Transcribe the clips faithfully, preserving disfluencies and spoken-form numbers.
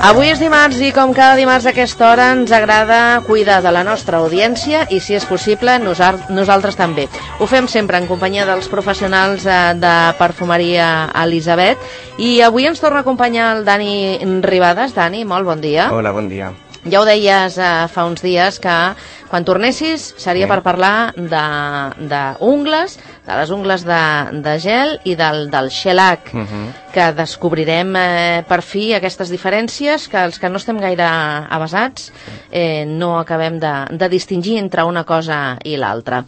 Avui és dimarts i com cada dimarts a aquesta hora ens agrada cuidar de la nostra audiència i, si és possible, nosaltres també. Ho fem sempre en companyia dels professionals de perfumeria Elisabet i avui ens torna a acompanyar el Dani Ribades. Dani, molt bon dia. Hola, bon dia. Ja ho deies eh, fa uns dies que quan tornessis seria sí. per parlar d'ungles, de, de les ungles de, de gel i del, del shellac, uh -huh. que descobrirem eh, per fi aquestes diferències que els que no estem gaire avasats eh, no acabem de, de distingir entre una cosa i l'altra.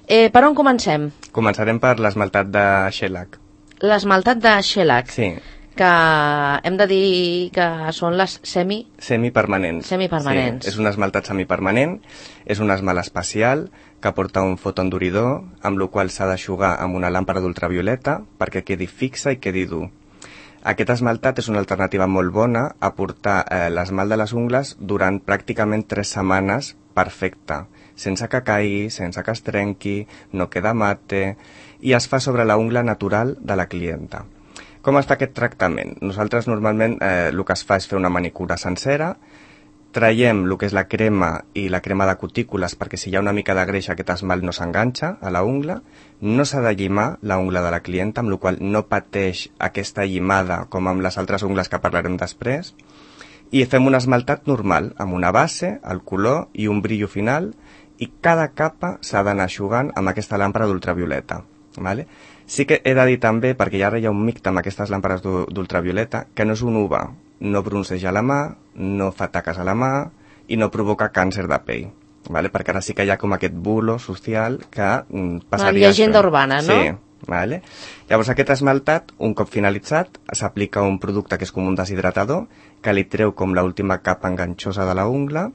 Eh, per on comencem? Començarem per l'esmaltat de shellac. L'esmaltat de shellac? Sí. Que hem de dir que són les semi... Semipermanents. Semipermanents. Sí, és un esmaltat semipermanent, és un esmalt especial que porta un fotoenduridor, amb el qual s'ha d'aixugar amb una làmpara d'ultravioleta perquè quedi fixa i quedi dur. Aquest esmaltat és una alternativa molt bona a portar eh, l'esmalt de les ungles durant pràcticament tres setmanes perfecte, sense que caigui, sense que es trenqui, no queda mate, i es fa sobre la ungla natural de la clienta. Com es fa aquest tractament? Nosaltres normalment eh, el que es fa és fer una manicura sencera, traiem el que és la crema i la crema de cutícules perquè si hi ha una mica de greix aquest esmalt no s'enganxa a la ungla, no s'ha de llimar la ungla de la clienta, amb la qual no pateix aquesta llimada com amb les altres ungles que parlarem després, i fem un esmaltat normal, amb una base, el color i un brillo final, i cada capa s'ha d'anar eixugant amb aquesta làmpara d'ultravioleta. Vale? Sí que he de dir també, perquè ara hi ha un mite amb aquestes làmpares d'ultravioleta, que no és un U V A, no bronceja la mà, no fa taques a la mà i no provoca càncer de pell. Vale? Perquè ara sí que hi ha com aquest bulo social que mm, passaria... La llegenda urbana, no? Sí. Vale? Llavors aquest esmaltat, un cop finalitzat, s'aplica un producte que és com un deshidratador, que li treu com l'última capa enganxosa de la ungla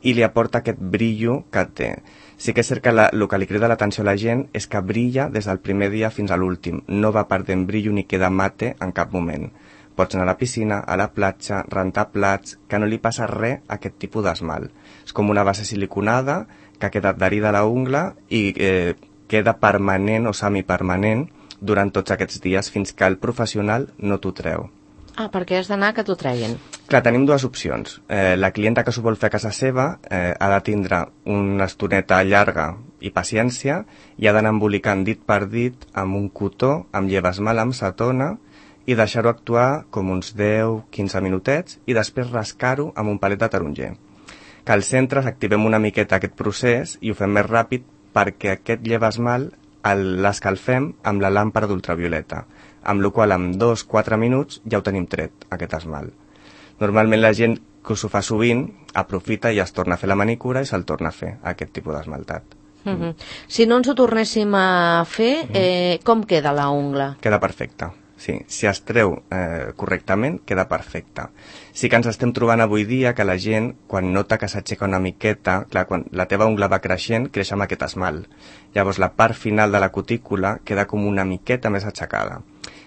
i li aporta aquest brillo que té. Sí que és cert que la, el que li crida l'atenció a la gent és que brilla des del primer dia fins a l'últim. No va perdent brillo ni queda mate en cap moment. Pots anar a la piscina, a la platja, rentar plats, que no li passa res a aquest tipus d'esmalt. És com una base siliconada que ha quedat adherida a la ungla i eh, queda permanent o semipermanent durant tots aquests dies fins que el professional no t'ho treu. Ah, perquè has d'anar que t'ho treguin. Clar, tenim dues opcions. Eh, la clienta que s'ho vol fer a casa seva eh, ha de tindre una estoneta llarga i paciència i ha d'anar embolicant dit per dit amb un cotó, amb llevesmal, amb cetona i deixar-ho actuar com uns deu a quinze minutets i després rascar-ho amb un palet de taronger. Que al centre activem una miqueta aquest procés i ho fem més ràpid perquè aquest llevesmal l'escalfem amb la làmpara d'ultravioleta, amb la qual en dos a quatre minuts ja ho tenim tret, aquest esmalt. Normalment la gent que s'ho fa sovint aprofita i es torna a fer la manicura i se'l torna a fer, aquest tipus d'esmaltat. Uh -huh. Si no ens ho tornéssim a fer, eh, com queda la ungla? Queda perfecta, sí. Si es treu eh, correctament, queda perfecta. Sí que ens estem trobant avui dia que la gent, quan nota que s'aixeca una miqueta, clar, quan la teva ungla va creixent, creix amb aquest esmalt. Llavors la part final de la cutícula queda com una miqueta més aixecada.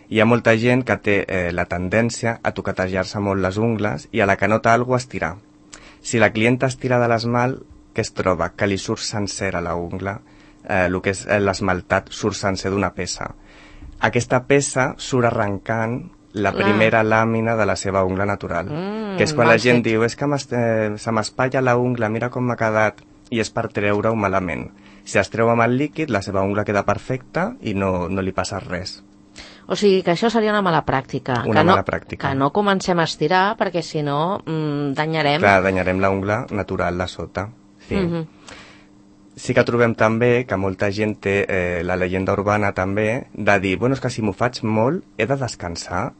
Hi ha molta gent que té eh, la tendència a toquetejar-se molt les ungles i a la que nota alguna cosa estirar. Si la clienta estira de l'esmalt, què es troba? Que li surt sencera la ungla, eh, el que és l'esmaltat surt sencer d'una peça. Aquesta peça surt arrencant la primera làmina de la seva ungla natural, mm, que és quan la gent fet. diu és que eh, se m'espatlla la ungla, mira com m'ha quedat, i és per treure-ho malament. Si es treu amb el líquid, la seva ungla queda perfecta i no, no li passa res. O sigui que això seria una mala pràctica. Una que no, mala pràctica. Que no comencem a estirar perquè si no mmm, danyarem... Clar, danyarem la ungla natural de sota. Sí. Mm -hmm. Sí que trobem també que molta gent té eh, la llegenda urbana també de dir, bueno, és que si m'ho faig molt he de descansar.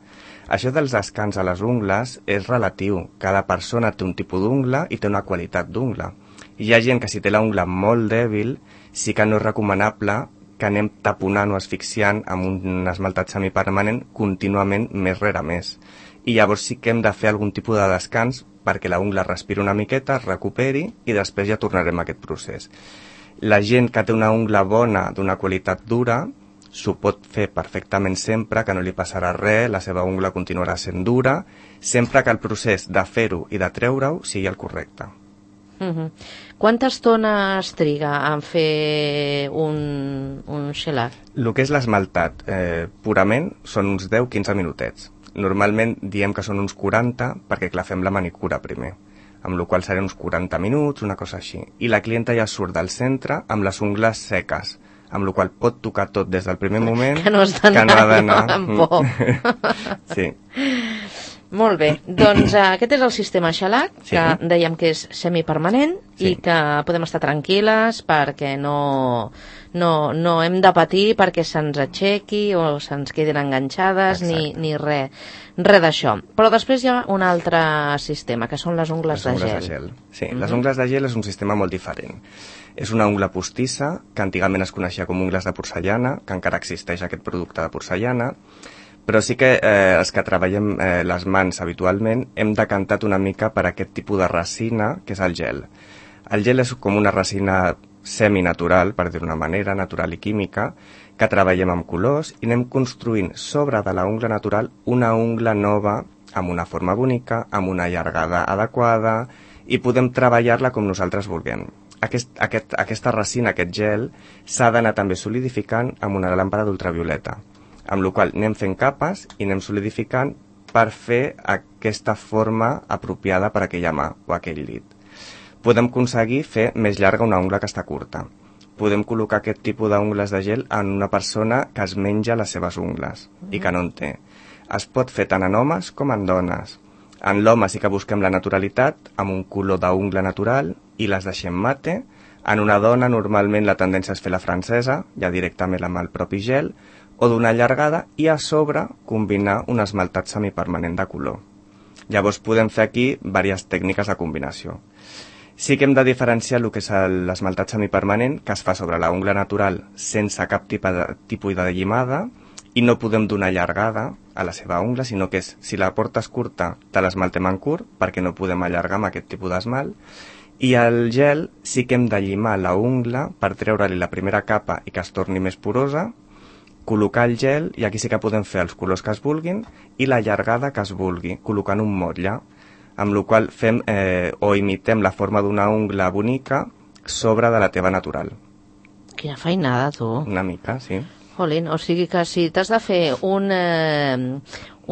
Això dels descans a les ungles és relatiu. Cada persona té un tipus d'ungla i té una qualitat d'ungla. Hi ha gent que si té la ungla molt dèbil sí que no és recomanable que anem taponant o asfixiant amb un esmaltat semipermanent contínuament més rere més. I llavors sí que hem de fer algun tipus de descans perquè la ungla respiri una miqueta, es recuperi i després ja tornarem a aquest procés. La gent que té una ungla bona, d'una qualitat dura, s'ho pot fer perfectament sempre, que no li passarà res, la seva ungla continuarà sent dura, sempre que el procés de fer-ho i de treure-ho sigui el correcte. Uh-huh. Quanta estona es triga en fer un, un shellac? El que és l'esmaltat eh, purament són uns deu a quinze minutets. Normalment diem que són uns quaranta perquè, clar, fem la manicura primer, amb la qual serien uns quaranta minuts, una cosa així. I la clienta ja surt del centre amb les ungles seques, amb la qual pot tocar tot des del primer moment, que no, que no ha d'anar amb por. Sí. Molt bé, doncs uh, aquest és el sistema Shellac, Sí. que dèiem que és semipermanent Sí. i que podem estar tranquil·les perquè no, no, no hem de patir perquè se'ns aixequi o se'ns quedin enganxades ni, Exacte. ni res re d'això. Però després hi ha un altre sistema, que són les ungles, Les ungles de de gel. gel. Sí, Mhm. les ungles de gel és un sistema molt diferent. És una ungla postissa, que antigament es coneixia com ungles de porcellana, que encara existeix aquest producte de porcellana, però sí que eh, els que treballem eh, les mans habitualment hem decantat una mica per aquest tipus de resina, que és el gel. El gel és com una resina seminatural, per dir-ho d'una manera, natural i química, que treballem amb colors i anem construint sobre de la ungla natural una ungla nova amb una forma bonica, amb una llargada adequada i podem treballar-la com nosaltres vulguem. Aquest, aquest, aquesta resina, aquest gel, s'ha d'anar també solidificant amb una làmpada d'ultravioleta, amb la qual anem fent capes i anem solidificant per fer aquesta forma apropiada per a aquella mà o aquell dit. Podem aconseguir fer més llarga una ungla que està curta. Podem col·locar aquest tipus d'ungles de gel en una persona que es menja les seves ungles mm. i que no en té. Es pot fer tant en homes com en dones. En l'home sí que busquem la naturalitat, amb un color d'ungla natural, i les deixem mate. En una dona normalment la tendència és fer la francesa, ja directament amb el propi gel, o d'una allargada, i a sobre combinar un esmaltat semipermanent de color. Llavors podem fer aquí diverses tècniques de combinació. Sí que hem de diferenciar el que és l'esmaltat semipermanent, que es fa sobre la ungla natural sense cap tipus de, tipus de llimada, i no podem donar allargada a la seva ungla, sinó que és, si la portes curta, te l'esmaltem en curt, perquè no podem allargar amb aquest tipus d'esmalt, i el gel sí que hem de llimar la ungla per treure-li la primera capa i que es torni més porosa, col·locar el gel, i aquí sí que podem fer els colors que es vulguin, i la llargada que es vulgui, col·locant un motlle, amb la qual fem eh, o imitem la forma d'una ungla bonica sobre de la teva natural. Quina feinada, tu. Una mica, sí. Jolín, o sigui que si t'has de fer un, eh,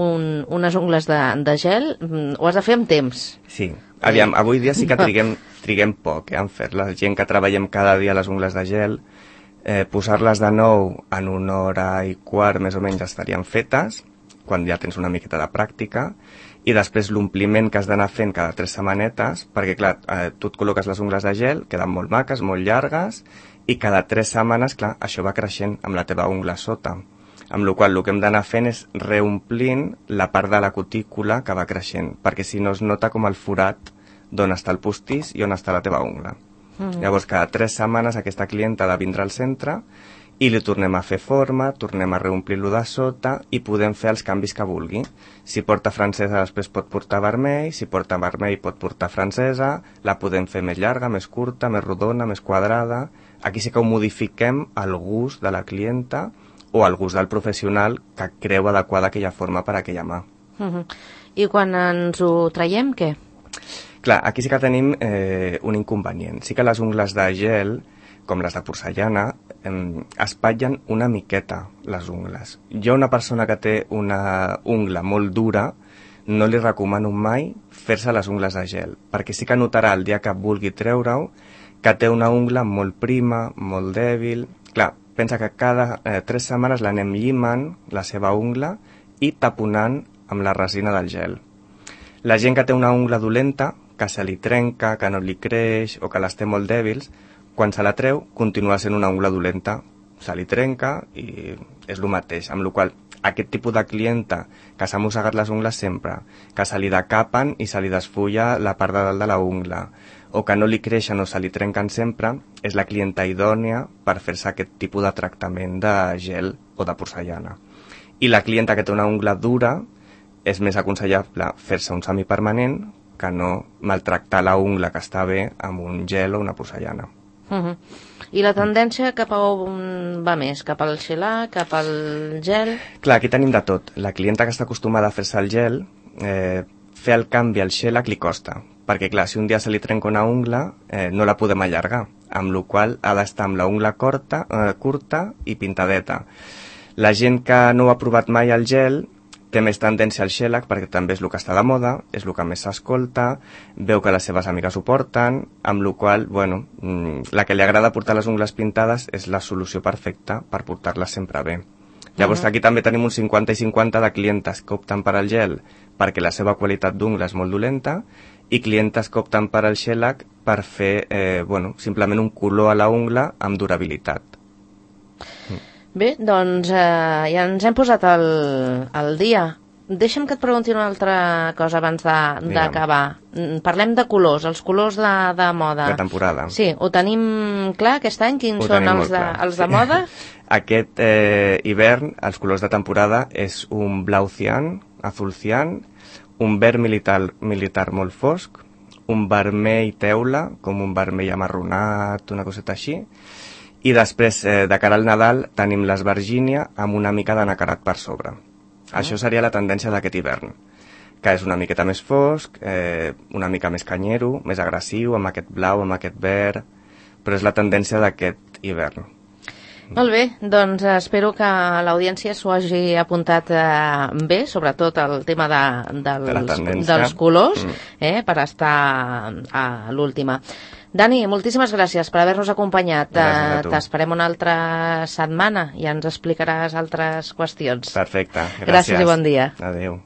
un, unes ungles de, de gel, ho has de fer amb temps. Sí. Aviam, avui dia sí que triguem, triguem poc eh, en fer-la. La gent que treballem cada dia les ungles de gel, eh, posar-les de nou en una hora i quart més o menys estarien fetes, quan ja tens una miqueta de pràctica, i després l'ompliment que has d'anar fent cada tres setmanetes, perquè clar, eh, tu et col·loques les ungles de gel, queden molt maques, molt llargues, i cada tres setmanes, clar, això va creixent amb la teva ungla sota. Amb la qual cosa el que hem d'anar fent és reomplint la part de la cutícula que va creixent, perquè si no es nota com el forat d'on està el postís i on està la teva ungla. Mm-hmm. Llavors, cada tres setmanes aquesta clienta ha de vindre al centre i li tornem a fer forma, tornem a reomplir-lo de sota i podem fer els canvis que vulgui. Si porta francesa després pot portar vermell, si porta vermell pot portar francesa, la podem fer més llarga, més curta, més rodona, més quadrada. Aquí sí que ho modifiquem al gust de la clienta o al gust del professional que creu adequada aquella forma per a aquella mà. Uh-huh. I quan ens ho traiem, què? Clar, aquí sí que tenim eh, un inconvenient. Sí que les ungles de gel, com les de porcellana, eh, espatllen una miqueta les ungles. Jo, una persona que té una ungla molt dura, no li recomano mai fer-se les ungles de gel, perquè sí que notarà el dia que vulgui treure-ho que té una ungla molt prima, molt dèbil. Clar, pensa que cada eh, tres setmanes l'anem llimant, la seva ungla, i taponant amb la resina del gel. La gent que té una ungla dolenta, que se li trenca, que no li creix o que les té molt dèbils, quan se la treu, continua sent una ungla dolenta. Se li trenca i és el mateix, amb la qual aquest tipus de clienta que s'ha mossegat les ungles sempre, que se li decapen i se li desfulla la part de dalt de la ungla, o que no li creixen o se li trenquen sempre, és la clienta idònia per fer-se aquest tipus de tractament de gel o de porcellana. I la clienta que té una ungla dura és més aconsellable fer-se un semipermanent que no maltractar la ungla que està bé amb un gel o una porcellana. Uh-huh. I la tendència cap a on va més? Cap al shellac, cap al gel? Clar, aquí tenim de tot. La clienta que està acostumada a fer-se el gel, eh, fer el canvi al shellac li costa, perquè clar, si un dia se li trenca una ungla, eh, no la podem allargar, amb la qual ha d'estar amb la ungla curta, eh, curta i pintadeta. La gent que no ha provat mai el gel té més tendència al shellac perquè també és el que està de moda, és el que més s'escolta, veu que les seves amigues ho porten, amb la qual cosa, bueno, la que li agrada portar les ungles pintades és la solució perfecta per portar-les sempre bé. Llavors aquí també tenim un cinquanta i cinquanta de clientes que opten per al gel perquè la seva qualitat d'ungla és molt dolenta i clientes que opten per al shellac per fer, eh, bueno, simplement un color a la ungla amb durabilitat. Bé, doncs eh, ja ens hem posat al, al dia. Deixa'm que et pregunti una altra cosa abans d'acabar. Parlem de colors, els colors de, de moda. De temporada. Sí, ho tenim clar aquest any? Quins ho són els de, els de sí. moda? Aquest eh, hivern, els colors de temporada és un blau cian, azul cian, un verd militar, militar molt fosc, un vermell teula, com un vermell amarronat, una coseta així, i després, eh, de cara al Nadal, tenim l'esvergínia amb una mica de nacarat per sobre. Ah. Això seria la tendència d'aquest hivern, que és una miqueta més fosc, eh, una mica més canyero, més agressiu, amb aquest blau, amb aquest verd, però és la tendència d'aquest hivern. Molt bé, doncs espero que l'audiència s'ho hagi apuntat eh, bé, sobretot el tema de, dels, de dels colors, eh, per estar a l'última. Dani, moltíssimes gràcies per haver-nos acompanyat. T'esperem una altra setmana i ens explicaràs altres qüestions. Perfecte, gràcies. Gràcies i bon dia. Adéu.